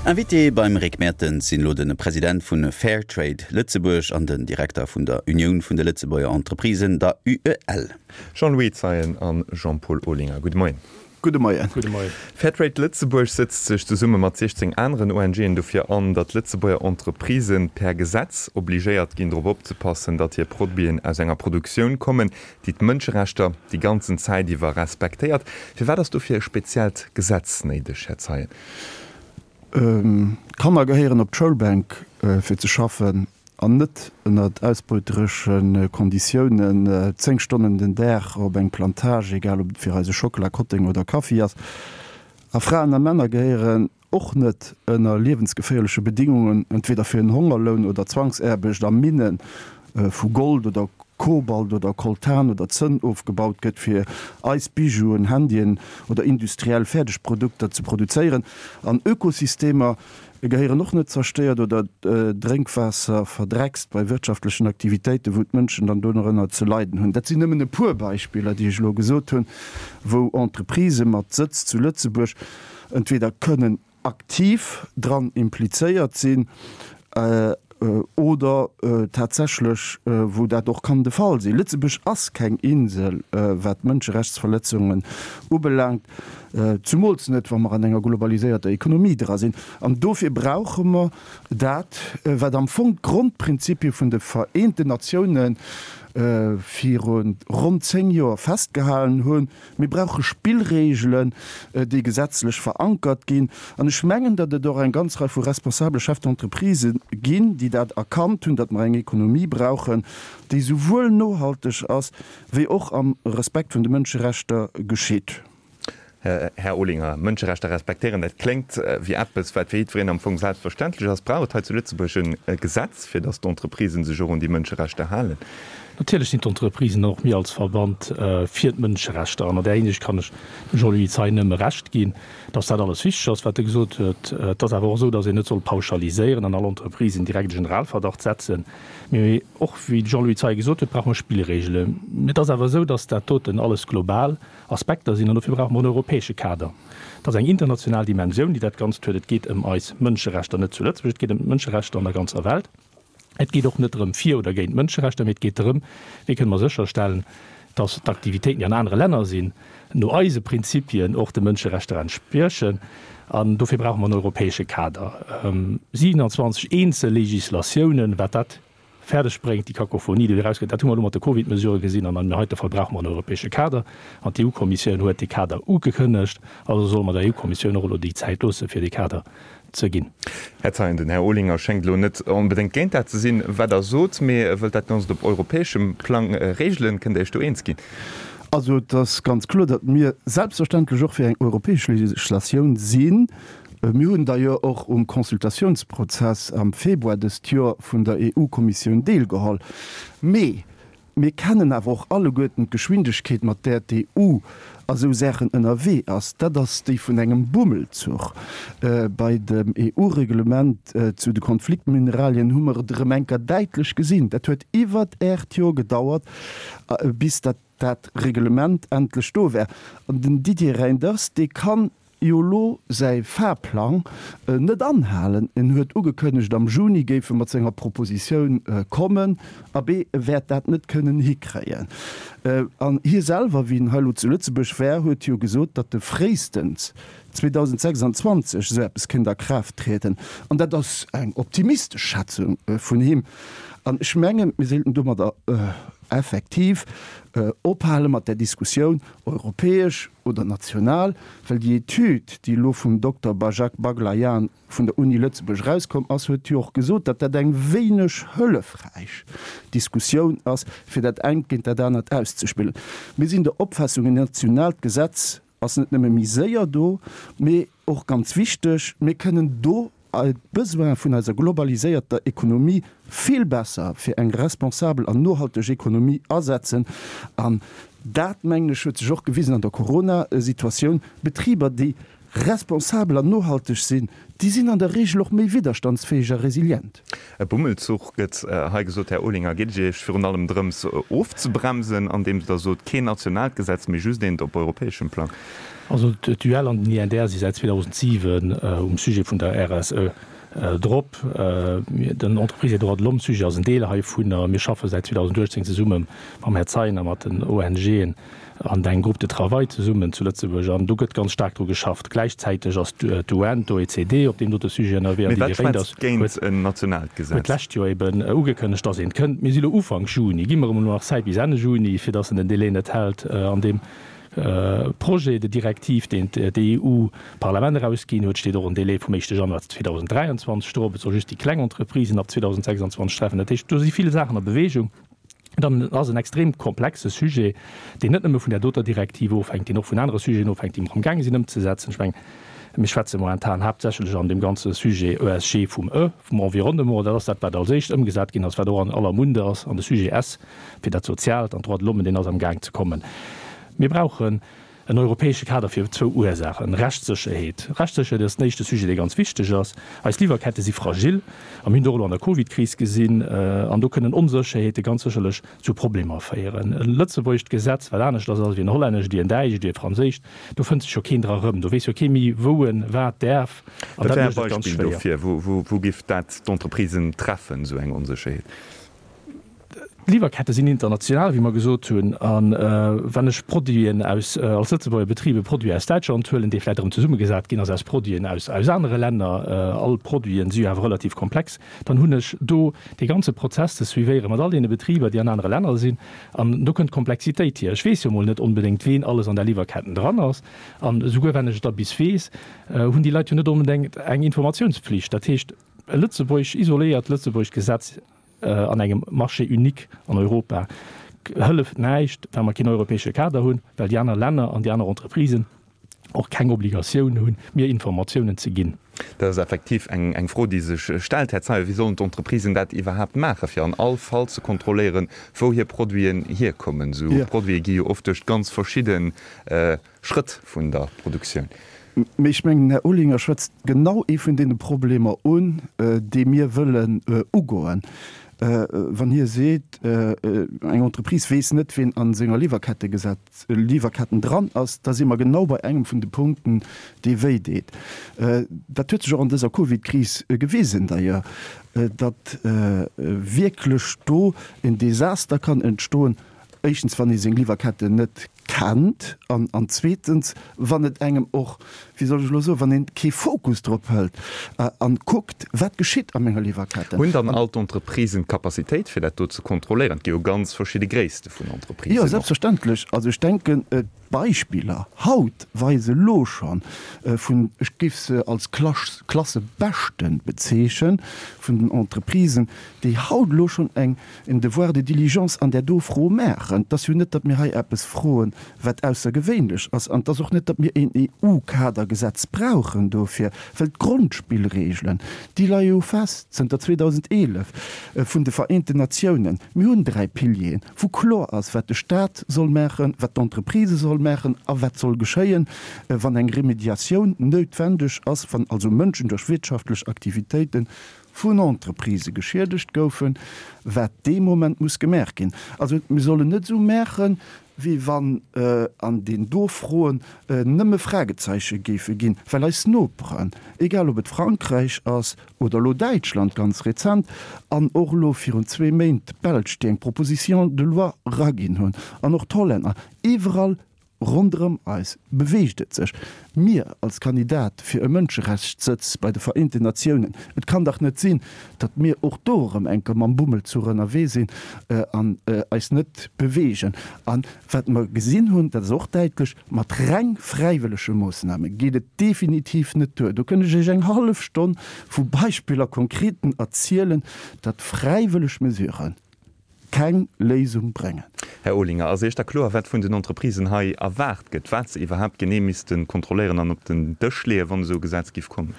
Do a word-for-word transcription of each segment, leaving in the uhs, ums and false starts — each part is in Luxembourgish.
Invité beim Rick Mertens sinn elo de President vu Fairtrade Lëtzebuerg an den Direkter vun der Unioun vun de Lëtzebuerger Entreprisen, der UEL. Jean-Louis Zeien an Jean-Paul Olinger, gudde Moien. Gudde Moien. Gudde Moien. Fairtrade Lëtzebuerg sëtzt sech zesumme mat siechzéng aneren ONGen dofir an, datt Lëtzebuerger Entreprisë per Gesetz obligéiert ginn, drop opzepassen, datt hir Produiten aus enger Produktioun kommen, déi d'Mënscherechter déi ganzen Zäit iwwer respektéiert. Firwat ass dofir e speziellt Gesetz néideg, Här Zeien? D'Kanner gehéieren op d'Schoulbänk fir ze schaffen an net ënnert ausbeuteresche Konditiounen zéng Stonnen den Dag op eng Plantage, egal ob et fir eise Schockela, Kotteng oder Kaffi ass. A Fraen a Männer gehéieren och net ënner liewensgeféierleche Bedingungen, entweder fir en Hongerloun oder Zwangsaarbecht a Minne vu Gold oder Kobalt oder Coltan oder Zënn ofgebaut gëtt, fir eis Bijouen, Handyen oder industriell Fäerdegprodukter ze produzéieren. An Ökosystemer gehéieren och net zerstéiert oder Drénkwaasser verdreckst bei wirtschaftlechen Aktivitéiten, wou d'Mënschen dann dorënner ze leiden hunn. Dat sinn nëmmen e puer Beispiller, déi ech elo gesot hunn, wou Entreprisë mat Sëtz zu Lëtzebuerg entweder kënnen aktiv dran implizéiert sinn oder tatsächlech wou dat och kann de Fall sinn. Lëtzebuerg ass keng Insel, wat d'Mënscherechtsverletzungen ubelaangt, zumools net, wa mer an enger globaliséierter Ekonomie dra sinn. An dofir brauche mer dat, wat am Fong d'Grondprinzipie vun de Vereenten Natiounen viru ronn zéng Joer festgehalen hunn. Mir brauche Spillregelen, déi gesetzlech verankert ginn. An ech mengen, datt et och eng ganz Rei vu responsabele Chefs d'entreprise ginn, déi dat erkannt hunn, datt mer eng Ekonomie brauchen, déi souwuel nohalteg ass wéi och am Respekt vun de Mënscherechter geschitt. Här Olinger, Mënscherechter respektéieren, dat kléngt wéi eppes, wat fir jiddwereen am Fong selbstverständlech ass. Brauch et hei zu Lëtzebuerg e Gesetz, fir datt d'Entreprisen sech och un déi Mënscherechter halen? Natierlech sinn d'Entreprisen an och mir als Verband fir d'Mënscherechter. An an där Hinsicht kann ech dem Jean-Louis Zeien nëmme Recht ginn, datt dat alles wichteg ass, wat e gesot huet. Et ass awer och esou, datt een net soll pauschaliséieren an all Entreprisen direkt e Generalverdacht setzen. Mee och, wéi de Jean-Louis Zeien gesot huet, brauche mer Spillregelen. Et ass awer esou, datt dat doten alles global Aspekter sinn, an dofir brauche mer en europäesche Kader. Et ass eng international Dimensioun, déi dat Ganzt huet. Et geet ëm eis Mënscherechter net zu Lëtzebuerg, et geet ëm d'Mënscherechter an der ganzer Welt. Et geet och net drëm fir oder géint d'Mënscherechter, mee et geet drëm, wéi kënne mer sécherstellen, dass d'Aktivitéiten, déi an anere Länner sinn, no eise Prinzipien och de Mënscherechter entspriechen. An dofir brauche mer en europäesche Kader. siwenanzwanzeg eenzel Législatiounen, wat dat fäerdeg bréngt, déi Kakophonie, déi do erausgëtt, dat hu mer elo mat de Covid-Mesurë gesinn. An an deem heite Fall brauche mer en europäesche Kader. An d'EU-Kommissioun huet dee Kader ugekënnegt. Also solle mer der EU-Kommissioun och elo déi Zäit loosse fir dee Kader ze ginn. Här Zeien, den Här Olinger schéngt elo net onbedéngt géint dat ze sinn, wat Der sot, mee e wëllt dat Ganzt op europäeschem Plang regelen. Kënnt Der Iech do eens ginn? Also et ass ganz kloer, datt mir selbstverständlech och fir eng europäesch Legislatioun sinn. Mir hunn d'ailleurs och um Consultatiounsprozess am Februar dëst Joer vun der EU-Kommissioun deelgeholl. Mee mir kennen awer och alleguerten d'Geschwindegkeet, mat där d'EU a sou Saachen ënnerwee ass. Dat ass déi vun engem Bummelzuch. Bei dem EU-Reglement zu de Konfliktmineralien hu mer et erëm eng Kéier däitlech gesinn. Dat huet iwwert aacht Joer gedauert, bis dat dat Reglement endlech do war. An den Didier Reynders, dee kann jo elo säi Fahrplang net anhalen. En huet ugekënnegt, am Juni géif e mat senger Propositioun kommen. Abee, e wäert dat net kënnen hikréien. An hie selwer, wéi en hei elo zu Lëtzebuerg war, huet jo gesot, datt e fréistens zweedausendsechsandzwanzeg esou eppes kéint a Kraaft trieden. An dat ass eng optimistesch Schätzung vun him. An ech mengen, mir sollten domadder effektiv ophale mat där Diskussioun, europäesch oder national, well déi Etüd, déi elo vum Dokter Bajak Baglaian vun der Uni Lëtzebuerg erauskomm ass, huet jo och gesot, datt dat eng wéineg hëllefräich Diskussioun ass, fir dat engt géint dat anert auszespillen. Mir sinn der Opfaassung, en nationaalt Gesetz ass net nëmme méi séier do, mee och ganz wichteg, mir kënnen do d'Besoine vun eiser globaliséierter Ekonomie vill besser fir eng responsabel an nohalteg Ekonomie asetzen. An dat, mengen ech, huet sech och gewisen an der Corona-Situatioun, Betriber, déi responsabel an nohalteg sinn, déi sinn an der Regel och méi widderstandsfäeg a resilient. E Bummelzuch gëtt hei gesot. Här Olinger, geet et Iech virun allem drëms ofzebremsen, andeems Der sot, keen nationaalt Gesetz, mee just eent op europäeschem Plang? Also d'UEL an den INDR si säit zweedausentsiwen um Sujet vun der R S E drop. Den Entreprises et Droits de l'Homme Sujet ass en Deel heivunner. Mir schaffe säit zweedausenduechtzéng zesumme mam Här Zeyen a mat den O N Gen an engem Groupe de travail zesummen zu Lëtzebuerg an do gëtt ganz staark dru geschafft. Gläichzäiteg ass d'U N, d'O E C D op deem dote Sujet ënnerwee an Mee déi wat Didier Reynders schwätzt géint huet en nationaalt huet Gesetz? d'lescht Joer eben ugekënnegt, dass eent kënnt. Mir si lo Ufank Juni, gi mer emol nach Zäit bis Enn Juni, fir dass en den Délai net hält. An deem Projet de directive, deen d'E U-Parlament erausginn huet, steet och en Délai vum éischte Januar zweedausenddräianzwanzeg drop. Et soll just déi kleng Entreprisen ab zweedausendsechsanzwanzeg treffen. Dat heescht, do si vill Saachen a Bewegung. Dann ass en extrem komplexe Sujet, deen net nëmme vun där doter Direktiv ofhänkt, deen och vun anere Sujeten ofhänkt, déi mer amgaange sinn ëmzesetzen. Ech mengen, mir schwätze momentan haaptsächlech an deem ganze Sujet E S G vum E, vum Environnement, dat ass dat, wat als éischt ëmgesat ginn ass, wat och an aller Munde ass, an de Sujet S fir dat Soziaalt an d'Droits de l'Homme, deen ass amgaang ze kommen. Mir brauchen en europäesche Kader fir zwou Ursaachen, Rechtssécherheet. Rechtssécherheet ass den éischte Sujet, dee ganz wichteg ass. Eis Liwwerkette si fragil a mir hunn et och elo an der Covidkris gesinn. An do kënnen Onsécherheete ganz sécherlech zu Problemer féieren. E lëtzebuergescht Gesetz, wat anescht ass wéi en hollännescht, wéi en däitscht, wéi e franséischt, do fënnt sech jo keen dra erëm. Do weess jo kee méi, wou en wat däerf. An Wat dat wär e mécht et ganz Beispill schwéier. dofir? Wou, wou géif dat d'Entreprisen treffen, esou eng Onsécherheet? D'Liwwerkette sinn international, wéi mer gesot hunn. A wann ech Produiten aus, als Lëtzebuerger Betrib e Produit aus Däitschland huelen, dee vläicht erëm zesummegesat ginn ass aus Produiten aus, aus anere Länner, all Produiten si jo awer relativ komplex, dann hunn ech do dee ganze Prozess ze suivéiere mat all deene Betriber, déi an anere Länner sinn. An do kënnt d'Komplexitéit hier. Ech weess jo mol net onbedéngt, ween alles an där Liwwerketten dran ass. An esouguer wann ech et da bis weess, hunn déi Leit jo net onbedéngt eng Informatiounspflicht. Dat heescht, e lëtzebuergesch, isoléiert lëtzebuergescht Gesetz an engem Marché unique an Europa hëlleft näischt, wa mer keen europäesche Kader hunn, well déi aner Länner an déi aner Entreprisen och keng Obligatioun hunn, mir Informatiounen ze ginn. Dat ass effektiv eng eng Fro, déi sech stellt, Här Zeyer. Wéi sollen d'Entreprisen dat iwwerhaapt maachen, fir an all Fall ze kontrolléieren, wou hir Produiten hierkommen? Esou Produite gi jo oft duerch ganz verschidde Schrëtt vun der Produktioun. Mee ech mengen, den Här Olinger schwätzt genau ee vun deene Problemer un, déi mir wëllen ugoen. Wann hie seet, eng Entreprise weess net, ween a senger Liwwerkette gesat, Liwwerketten dran ass, da si mer genau bei engem vun de Punkten, dee wéi deet. Dat huet sech och an dëser Covid-Kris gewisen d'ailleurs, datt wierklech do en Desaster kann entstoen, éischtens wann ee seng Liwwerketten net kennt an, an zweetens wann et engem och, wéi soll ech elo soen, wann een kee Fokus drop hëlt an kuckt, wat geschitt a menger Liwwerketten. Hunn dann all d'Entreprisen d'Capacitéit fir dat do ze kontrolléieren? Et gi jo ganz verschidde Gréisste vun Jo, Entreprisen och. selbstverständlech. Also ech denken, d'Beispiller haut weise elo schonn vun, ech géif se als Klasse Beschten bezeechen, vun den Entreprisen, déi haut elo schonn eng, en Devoir de diligence an där do Fro maachen. Et ass jo net, datt mir hei eppes froen, wat aussergewéinlech ass. An et ass och net, datt mir een E U-Kadergesetz brauchen dofir, well d'Grondspillregelen, déi leie jo fest zënter zweedausendeelef vun de Vereenten Natiounen. Mir hunn dräi Pilieren, wou kloer ass, wat de Stat soll maachen, wat d'Entreprise soll maachen a wat soll geschéien, wann eng Remediatioun noutwendeg ass, wann also Mënschen duerch wirtschaftlech Aktivitéite vun Entreprisë geschiedegt goufen, wat dee Moment muss gemaach ginn. Also mir sollen net esou maachen, wéi wann an deenen do Froen nëmme Fragezeiche géife ginn, well eis Noperen, egal ob et Frankräich ass oder elo Däitschland ganz rezent an och elo virun zwee Méint d'Belsch, déi eng Proposition de loi eraginn hunn, an och d'Hollänner, iwwerall Ronderëm eis beweegt et sech. Mir als Kandidat fir e Mënscherechtssëtz bei de Vereenten Natiounen, et kann dach net sinn, datt mir och do erëm eng Kéier mam Bummelzuch ënnerwee sinn an eis net beweegen. A wat mer gesinn hunn, dat ass och däitlech, mat reng fräiwëllege Moossname geet et definitiv net duer. Do kënnt ech Iech eng hallef Stonn vu Beispiller, konkreten, erzielen, datt fräiwëlleg Mesuren keng Léisung bréngen. Här Olinger, ass Iech da kloer, wat vun den Entreprisen hei erwaart gëtt, wat se iwwerhaapt genee misste kontrolléieren an op den Dësch leeën, wann esou e Gesetz géif kommen?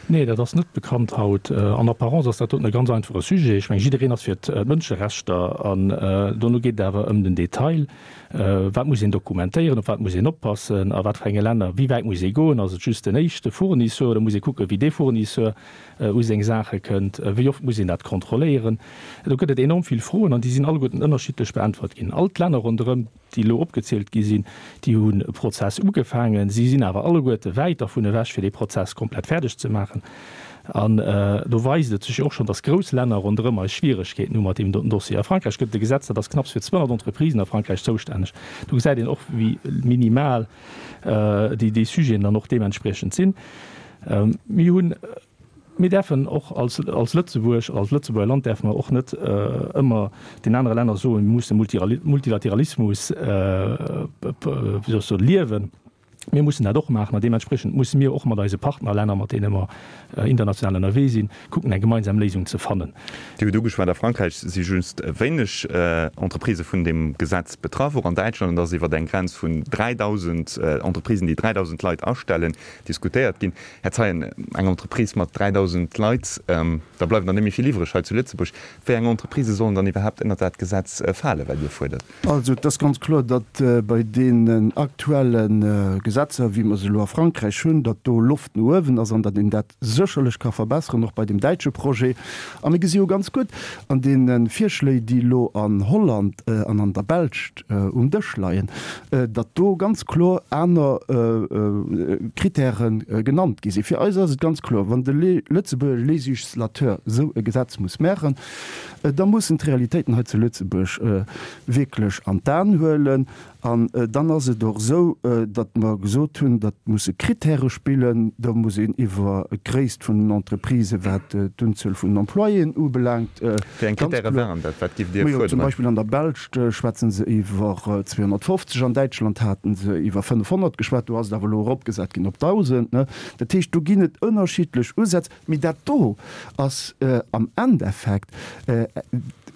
Nee, dat ass net bekannt haut. An Apparence ass dat doten e ganz einfache Sujet. Ech mengen, jiddereen ass fir d'Mënscherechter an dono geet et awer ëm den Detail. Wat muss een dokumentéieren, op wat muss een oppassen, a wat fir enge Länner, wéi wäit muss ee goen, ass et just den éischte Fournisseur oder muss ee kucken, wéi dee Fournisseur u seng Saache kënnt, wéi oft muss een dat kontrolléieren? Do gëtt et enorm vill Froen an déi sinn alleguerten ënnerschiddlech beäntwert ginn. All d'Länner ronderëm, déi elo opgezielt gi sinn, déi hunn e Prozess ugefaangen. Si sinn awer alleguerte wäit dervun ewech, fir dee Prozess komplett fäerdeg ze maachen. An do weist et sech jo och schonn, dass grouss Länner ronderëm eis Schwieregkeeten hu mat deem doten Dossier. A Frankräich gëtt et e Gesetz, dat ass knapps fir zweehonnert Entreprisen a Frankräich zoustänneg. Do gesäit een och, wéi minimal déi déi Sujeten dann och deementspriechend sinn. Mir hunn. Mir däerfen och als Lëtzebuerg, als Lëtzebuerger Land däerfe mer och net ëmmer den anere Länner soen, mir musse Multilateralismus, wéi soll ech soen, liewen. Mir mussen dat och maachen an deementspriechend musse mir och mat eise Partnerlänner, mat deene mer international ënnerwee sinn, kucken eng gemeinsam Léisung ze fannen. Dir hutt ugeschwat, a Frankräich si just wéineg Entreprisë vun deem Gesetz betraff. Och an Däitschland ass iwwer eng Grenz vun dräidausend Entreprisen, déi dräidausend Leit astellen, diskutéiert ginn. Här Zeyen, eng Entreprise mat dräidausend Leit, da bleiwen der net méi vill iwwreg hei zu Lëtzebuerg. Wéi eng Entreprisë sollen dann iwwerhaapt ënnert dat Gesetz falen, wat Dir fuerdert? Also et ass ganz kloer, datt bei deenen aktuelle Gesetzer, wéi mer se elo a Frankräich hunn, datt do Loft no uewen ass an datt een dat sécherlech ka verbesseren, och bei deem däitsche Projet. A mir gesi jo ganz gutt an deene Virschléi, déi elo an Holland an an der Belsch um Dësch leien, datt do ganz kloer aner Kritäre genannt gi sinn. Fir eis ass et ganz kloer, Wann de Lëtzebuerger Législateur esou e Gesetz muss maachen, da muss en d'Realitéiten hei zu Lëtzebuerg wierklech an d'Aen huelen. An dann ass et och esou, datt mer gesot hunn, datt musse Kritäre spillen. Do muss een iwwer d'Gréisst vun den Entreprisen, wat d'Unzuel vun den Employéen ubelaangt, Wéi eng ganz Kritäre kloer. waren dat? Wat giff Dir Majo, zum fuerderen? Beispill an der Belsch schwätze se iwwer zweehonnertfofzeg, an Däitschland hate se iwwer fënnefhonnert geschwat, do ass et awer elo eropgesat ginn op dausend. Dat heescht, do ginn et ënnerschiddlech Usätz. Mee dat do ass am Endeffekt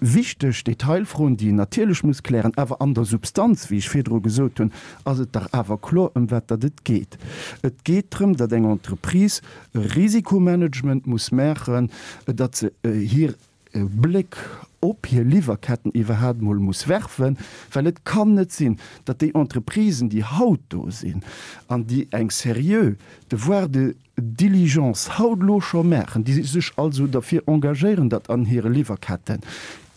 wichteg Detailfroen, déi een natierlech muss klären, awer an der Substanz, wéi ech virdru gesot hunn, ass et dach awer kloer, ëm wat datt et geet. Et geet drëm, datt eng Entreprise e Risikomanagement muss maachen, datt se hir Bléck op hir Liwwerketten iwwerhaapt emol muss werfen, well et kann net sinn, datt déi Entreprisen, déi haut do sinn an déi eng seriö Devoir de diligence haut elo scho maachen, déi sech also derfir engagéieren, datt an hire Liwwerkette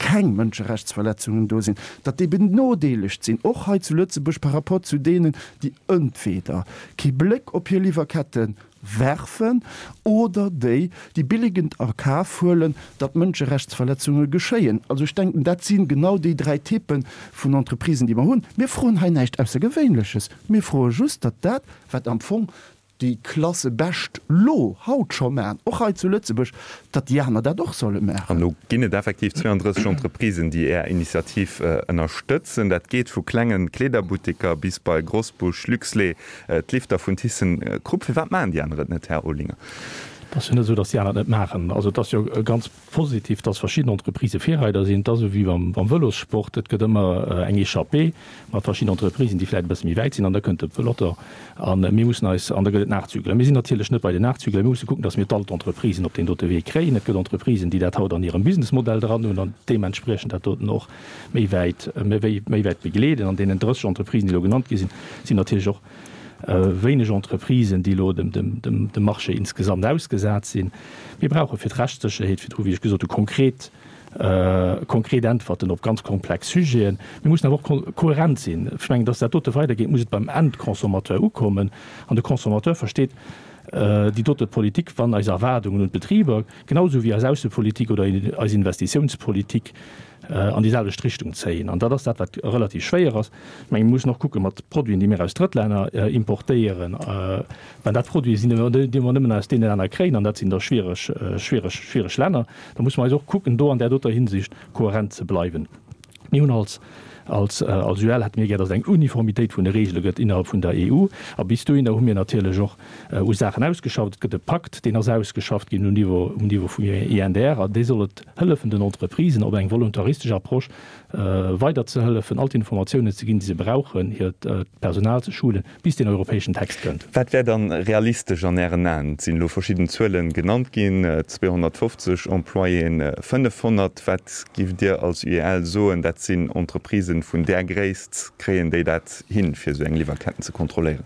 keng Mënscherechtsverletzungen do sinn, datt déi benodeelegt sinn, och hei zu Lëtzebuerg par rapport zu deenen, déi entweder kee Bléck op hir Liwwerkette werfen oder déi, déi billigend a Kaf huelen, datt Mënscherechtsverletzunge geschéien. Also ech denken, dat si genau déi dräi Typpe vun Entreprisen, déi mer hunn. Mir froen hei näischt Aussergewéinleches. Mir froe just, datt dat, wat am Fong déi Klasse bescht lo haut scho maachen, och hei zu Lëtzebuerg, datt déi aner dat och solle An maachen. elo ginn et effektiv zweeandrësseg Entreprisen, déi Är Initiativ ënnerstëtzen. Dat geet vu klengen Kleederbutteker bis bei Grosbusch, Luxlait, d'Lifter vun ThyssenKrupp. Firwat maachen déi aner et net, Här Olinger? Et ass jo net esou, datt déi aner et net maachen. Also et ass jo ganz positiv, datt verschidden Entreprisë Virreider sinn. Et ass esou wéi beim Vëlossport, et gëtt ëmmer eng Echappée mat verschidden Entreprisen, déi vläicht e bësse méi wäit sinn, an da kënnt de Peloton a mir mussen eis, an da gëtt et Nachzügler. Mir sinn natierlech net bei den Nachzügler. Mir musse kucken, datt mir all d'Entreprisen op deen dote Wee kréien. Et gëtt Entreprisen, déi dat haut an hirem Businessmodell dran hunn an deementspriechend dat doten och méi wäit, méi wäit begleeden. An deenen drësseg Entreprisen, déi elo genannt gi sinn, sinn natierlech och wéineg Entreprisen, déi elo dem Marché insgesamt ausgesat sinn. Mir brauche fir d'Rechtssécherheet, virdru wéi ech gesot hu, konkret, konkret Äntwerten op ganz komplex Sujeten. Mir mussen awer och kohärent sinn. Ech mengen, dass dat dote weidergeet, muss et beim Endconsommateur ukommen. An de Consommateur versteet déi dote Politik, wann eis Erwaardungen un d'Betriber, genau esou wéi eis Aussepolitik oder eis Investitiounspolitik, an déi selwecht Richtung zéien. An dat ass dat, wat relativ schwéier ass. Ech mengen, mir mussen och kucke mat Produiten, déi mir aus Drëttlänner importéieren, well dat Produite sinn, déi mer nëmmen aus deene Länner kréien, an dat sinn da schwiereg, schwiereg, schwiereg Länner. Da musse mer eis och kucken, do an där doter Hinsicht kohärent ze bleiwen. Mir hunn als Als als UEL hätte mir gär, datt et eng Uniformitéit vun de Reegele gëtt innerhalb vun der EU. A bis dohinner hu mir natierlech och u Saachen ausgeschafft. Et gëtt e Pakt, deen ass ausgeschafft ginn um Niveau um Niveau vum INDR, an dee soll et hëllefen den Entreprisen op eng voluntaristesch Approche weider ze hëllefen, all d'Informatiounen ze ginn, déi se brauchen, hiert Personal ze schulen, bis deen europäeschen Text kënnt. Wat wär dann realistesch an Ären Aen? Et sinn elo verschidden Zuelen genannt ginn, zweehonnertfofzeg Employéen, fënnefhonnert. Wat giff Dir als UEL soen, dat sinn Entreprisen vun där Gréisst, kréien déi dat hin, fir esou eng Liwwerketten ze kontrolléieren?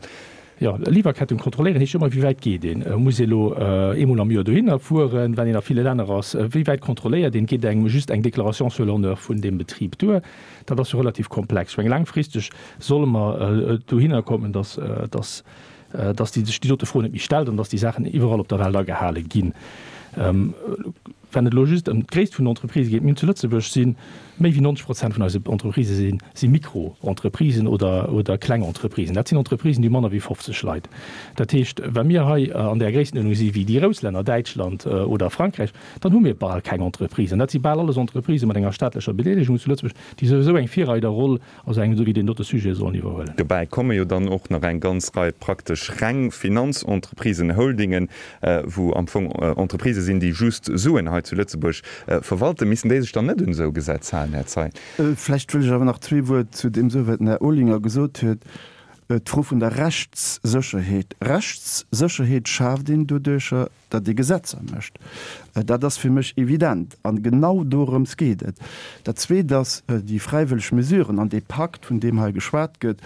Jo, Liwwerketten kontrolléieren heescht ëmmer, wéi wäit geet een? Muss ee elo eemol am Joer dohinner fueren, well een a ville Länner ass? Wéi wäit kontrolléiert een? Geet engem just eng Déclaration sur l'honneur vun deem Betrib duer? Dat ass jo relativ komplex. Ech mengen, laangfristeg solle mer dohinner kommen, dass, dass, dass déi sech déi dote Fro net méi stellt an dass déi Saachen iwwerall op der Welt agehale ginn. Wann et elo just ëm d'Gréisst vun den Entreprisë geet, mir hunn zu Lëtzebuerg si méi wéi neunzeg Prozent vun eise Entreprisë si si Mikroentreprisen oder oder kleng Entreprisen. Dat sinn Entreprisen, déi hu manner wéi fofzeg Leit. Dat heescht, wa mir hei an där Gréisstenuerdnung si wéi déi grouss Länner, Däitschland oder Frankräich, dann hu mir bal keng Entreprisen. Dat si bal alles Entreprisë mat enger staatlecher Bedeelegung zu Lëtzebuerg, déi souwisou eng Virreiderroll a sou engem esou wéi deen dote Sujet sollen iwwerhuelen. Dobäi komme jo dann och nach eng ganz Rei praktesch reng Finanzentreprisen, Holdingen, wou am Fong Entreprisë sinn, déi just Suen hei zu Lëtzebuerg verwalten. Missten déi sech dann net un esou Gesetz halen, Här Zeyen? Vläicht wëll ech awer nach zwee Wuert zu deem soen, wat den Här Olinger gesot huet. D'Fro vun der Rechtssécherheet. Rechtssécherheet schaaft een doduercher, datt ee Gesetzer mécht. Dat ass fir mech evident. A genau dorëms geet et. Dat Zweet ass, déi fräiwëlleg Mesuren an dee Pakt, vun deem hei geschwat gëtt,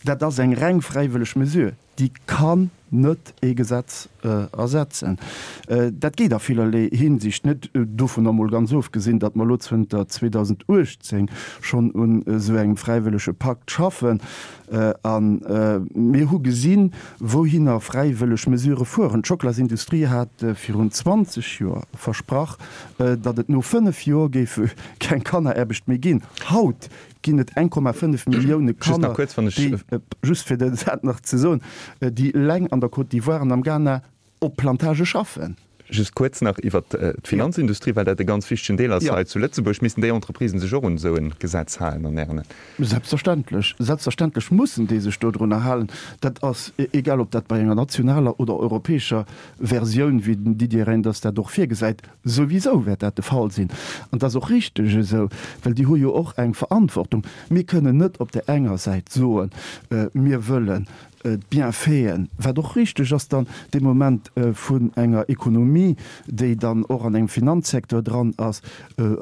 dat ass eng reng fräiwëlleg Mesure. Déi kann net ee Gesetz ersetzen. Dat geet a villerlee Hinsicht net, dovunner emol ganz ofgesinn, datt mer elo zënter zweedausenduechtzéng schonn un esou engem fräiwëllege Pakt schaffen. A mir hu gesinn, wouhinner fräiwëlleg Mesurë fueren. D'Schocklasindustrie hat virun zwanzeg Joer versprach, datt et no fënnef Joer géif keng Kanneraarbecht méi ginn. Haut ginn et eng Komma fënnef Millioune Kanner, déi, just fir dat nach ze soen, déi eleng an der Côte d'Ivoire an am Ghana op Plantagë schaffen. Just kuerz nach iwwert d'Finanzindustrie, well dat e ganz wichtegen Deel ass hei zu Lëtzebuerg. Missten déi Entreprisen sech och un esou e Gesetz halen an Ären Aen? Selbstverständlech. Selbstverständlech mussen déi sech dodrunner halen. Dat ass egal, ob dat bei enger nationaler oder europäescher Versioun, wéi den Didier Reynders dat och virgesäit, Souwisou wäert dat de Fall sinn. An et ass och richteg esou, well déi hu jo och eng Verantwortung. Mir kënnen net op där enger Säit soen, mir wëllen d'Bienfaiten, wat och richteg ass dann dee Moment vun enger Ekonomie, déi dann och an engem Finanzsecteur dran ass,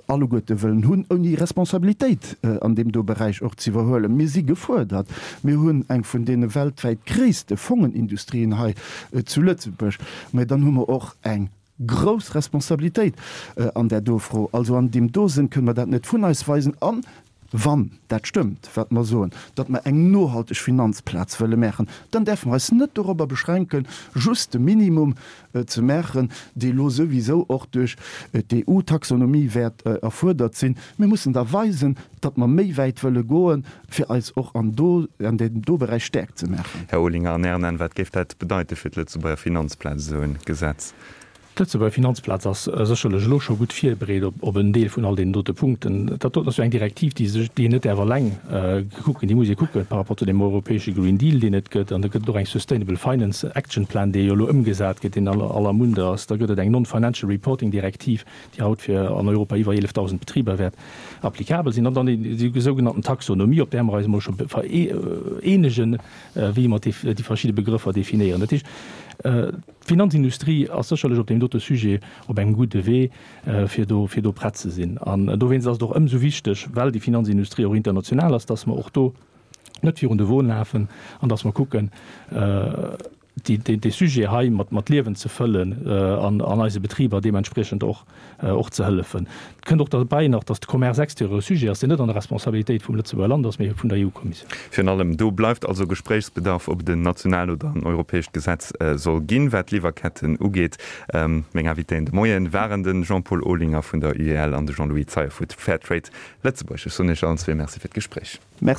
alleguerte wëllen hunn, ouni Responsabilitéit an deem do Beräich och ze iwwerhuelen. Mir si gefuerdert. Mir hunn eng vun deene weltwäit gréisste Fongenindustrien hei zu Lëtzebuerg. Mä dann hu mer och eng grouss Responsabilitéit an där do Fro. Also an deem do Sënn kënne mer dat net vun eis weisen. A wann dat stëmmt, wat mer soen, datt mer eng nohalteg Finanzplaz wëlle maachen, dann däerfe mer eis net dorobber beschränken, just de Minimum ze maachen, dee lo souwisou och duerch d'EU-Taxonomie wäert erfuerdert sinn. Mir mussen da weisen, datt mer méi wäit wëlle goen, fir eis och an do, an deem do Beräich staark ze maachen. Här Olinger, an Ären Aen, wat géif dat bedeite fir d'Lëtzebuerger Finanzplaz, esou e Gesetz? D'Lëtzebuerger Finanzplaz ass sécherlech elo scho gutt virbereet op en Deel vun all deenen dote Punkten. Dat doten ass jo eng Direktiv, déi sech, déi een net däerf eleng kucken, déi muss ee kucke par rapport zu deem europäesche Green Deal, deen et gëtt. An da gëtt et och eng Sustainable Finance Action Plan, dee jo elo ëmgesat gëtt, deen an aller Munde ass. Da gëtt et eng Non-Financial Reporting Direktiv, déi haut fir an Europa iwwer eelefdausend Betriber wäert applicabel sinn. An dann déi sougenannten Taxonomie, op där mer eis emol scho vereenegen, wéi mer déi verschidde Begrëffer definéieren. Dat heescht, D'Finanzindustrie ass sécherlech op deem dote Sujet op engem gudde Wee, fir do, fir do prett ze sinn. An dowéinst ass et och ëmsou wichteg, well déi Finanzindustrie och international ass, dass mer och do net virun de Won lafen an dass mer kucken, déi, dee Sujet hei mat, mat Liewen ze fëllen an, an eise Betriber deementspriechend och, och ze hëllefen. Et kënnt och derbäi nach, dass de Commerce extérieur e Sujet ass, deen net an der Responsabilitéit vum Lëtzebuerger Land ass, mee vun der EU-Kommissioun. Virun allem do bleift also Gespréichsbedarf, ob et en national oder en europäescht Gesetz soll ginn, wat d'Liwwerketten ugeet. Meng Invitéen de Moien waren de Jean-Paul Olinger vun der UEL an de Jean-Louis Zeyer vu Fairtrade Lëtzebuerg. Ech soen Iech allen zwee Merci fir d'Gespréich. Merci.